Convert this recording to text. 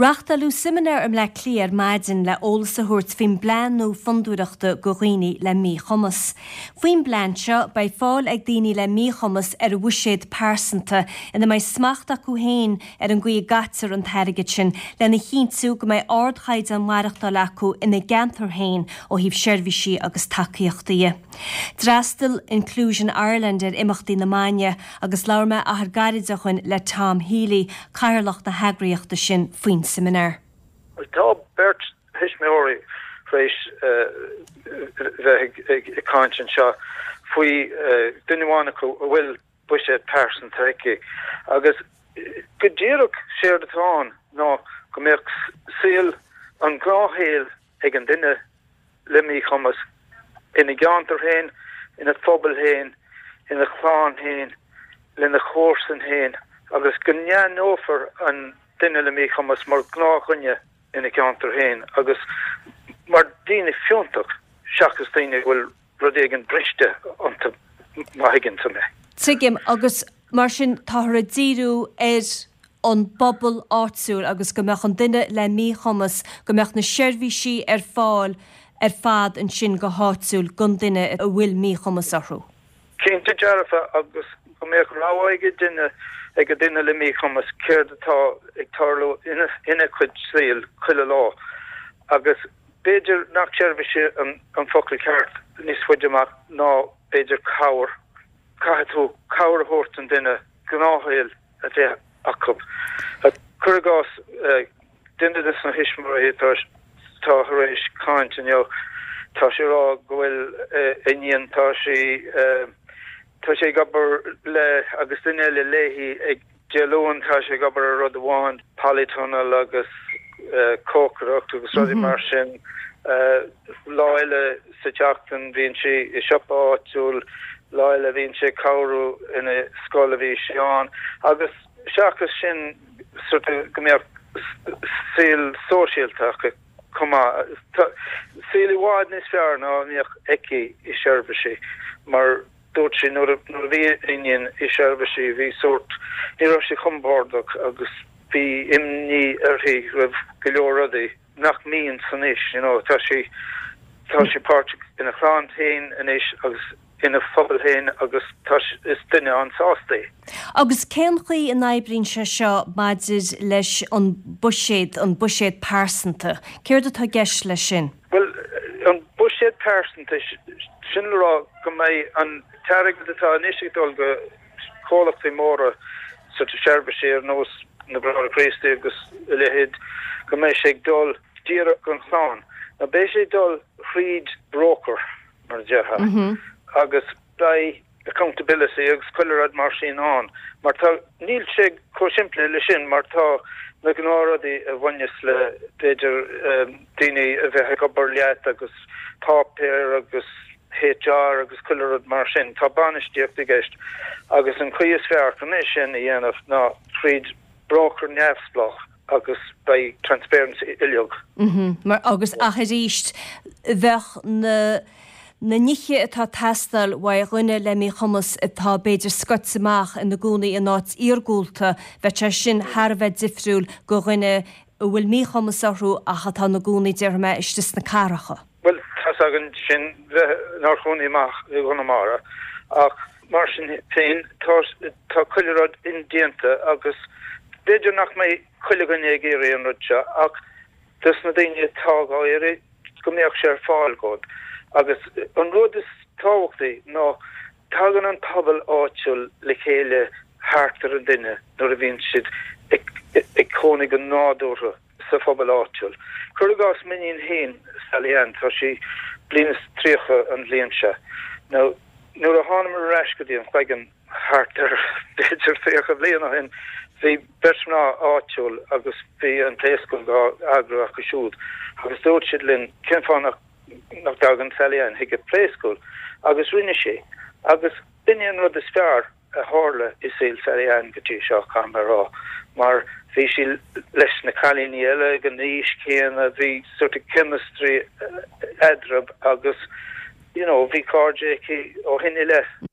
Reáchtáladh seimineár i mBleá Cliath ar maidin le eolas a thabhairt faoin bplean nua fondúireachta do dhaoine le míchumas. Faoin bplean seo, beidh fáil ag daoine le míchumas ar bhuiséad pearsanta ina mbeidh smacht acu féin ar an gcaoi a gcaitear an t-airgead sin lena chinntiú go mbeidh ardchaighdeán maireachtála acu ina gceantar féin ó thaobh seirbhísí agus tacaíochtaí de. D'fhreastail Inclusion Ireland ar imeachtaí na maidne agus labhair mé achar gairid ó shoin le Tom Healy, Cathaoirleach na heagraíochta sin, faoin seimineár. Tá beirt thuismitheoirí tar éis bheith ag caint anseo faoi duine amháin acu a bhfuil buiséad pearsanta aici agus go díreach séard atá ann ná go mbeadh saol, an gnáthshaol ag an duine le míchumas ina gceantar féin, ina phobal féin, ina chlann féin, lena chomharsain féin agus go n-aithneofar an duine le míchumas mar ghnáthdhuine ina cheantar féin agus mar daoine fiúntach seachas daoine a bhfuil rud éigin briste iontu, má thuigeann tú mé. Tuigim, agus mar sin táthar ag díriú ar an bpobal áitiúil agus go mbeadh an duine le míchumas, go mbeadh na seirbhísí ar fáil ar fad ansin go háitiúil don duine a bhfuil míchumas orthu. Cinnte dearfa agus go mbeadh rogha ag an duine, ag an duine le míchumas céard atá ag tarlú ina chuid saoil chuile lá agus b'fhéidir nach seirbhísí an focal ceart níos faide amach ná b'fhéidir cabhair. Caithfidh tú cabhair a thabhairt don duine gnáthshaol a bheith acu. Cuir i gcás, duine de na thuismitheoirí atá tar éis caint inniu, tá sé ag rá go bhfuil a iníon, tá sí, tá sé ag obair le agus duine eile léi ag Dé Luain tá sé ag obair ar rud amháin, polytunnel agus cócaireacht agus rudaí mar sin. Lá eile sa tseachtain bíonn sí i siopa áitiúil, lá eile bíonn sí ag cabhrú ina scoil a bhí sí ann. Agus seachas sin sort of go mbeadh saol sóisialta acu chomh maith. Saol i bhfad níos fearr ná a mbeadh aici i seirbhísí mar Dúirt sí nuair a bhí a iníon i seirbhísí bhí sórt, ní raibh sí compordach agus bhí imní uirthi roimh go leor rudaí nach mbíonn anois, you know, tá sí, tá sí páirteach ina chlann féin anois agus ina phobal féin agus tá, is duine an-sásta í. Agus cén chaoi a n-oibríonn sé seo maidir leis an buiséad, an buiséad pearsanta? Céard atá i gceist leis sin? Bhuel, an buiséad pearsanta, sin le rá go mbeidh an t-airgead atá anois ag dul go comhlachtaí móra sort of seirbhísí ar nós na Bráithre Críostaí agus a leithéid, go mbeidh sé ag dul díreach don chlann. Now beidh sé ag dul thríd broker, mar a déarfá, agus beidh accountability agus chuile rud mar sin ann mar tá, níl sé chomh simplí le sin mar tá na gnáthrudaí a bhaineas le b'fhéidir daoine a bheith ag obair leat agus páipéir agus HR agus chuile rud mar sin. Tá bainistíocht i gceist agus an chaoi is fearr chun é sin a dhéanamh ná tríd broker neamhspleách. agus beidh transparency uilig. Mar, agus, ach arís, bheadh na, na nithe atá ag teastáil uaidh dhuine le míchumas atá b'fhéidir scoite amach ina gcónaí in áit iargúlta, bheadh sé sin thar a bheith difriúil go dhuine a bhfuil míchumas orthu ach atá ina gcónaí, déarfaidh mé, istigh sna cathracha. Bhuel, tá's againn sin bheith inár gcónaí amach i gConamara ach mar sin féin tá, tá chuile rud indéanta agus b'fhéidir nach mbeidh chuile dhuine ag iarraidh an rud seo ach dos na daoine atá dhá iarraidh go mbeadh sé ar fáil dhóibh. Agus an rud is tábhachtaí ná tagann an pobal áitiúil le chéile thart ar an duine nuair a bhíonn siad ag, ag cónaí go nádúrtha. sa phobal áitiúil. Cuir i gcás m'iníon féin, Sally Ann, tá sí bliain is 30 an bhliain seo. Now, nuair a thánamar ar ais go dtí an Chloigeann thart ar b'fhéidir 30 bliain ó shin, bhí beirt mná áitiúil agus bhí an Playschool dhá eagrú acu siúd agus dúirt siad linn cén fáth nach nach dtagann Sally Ann chuig an Playschool agus rinne sí agus b'in é an rud is fearr a tharla i saol Sally Ann go dtí seo, caithfidh mé a rá, mar bhí sí leis na cailíní eile ag an aois chéanna, bhí sort of chemistry eadraibh agus you know bhí cairde aici ó shin i leith.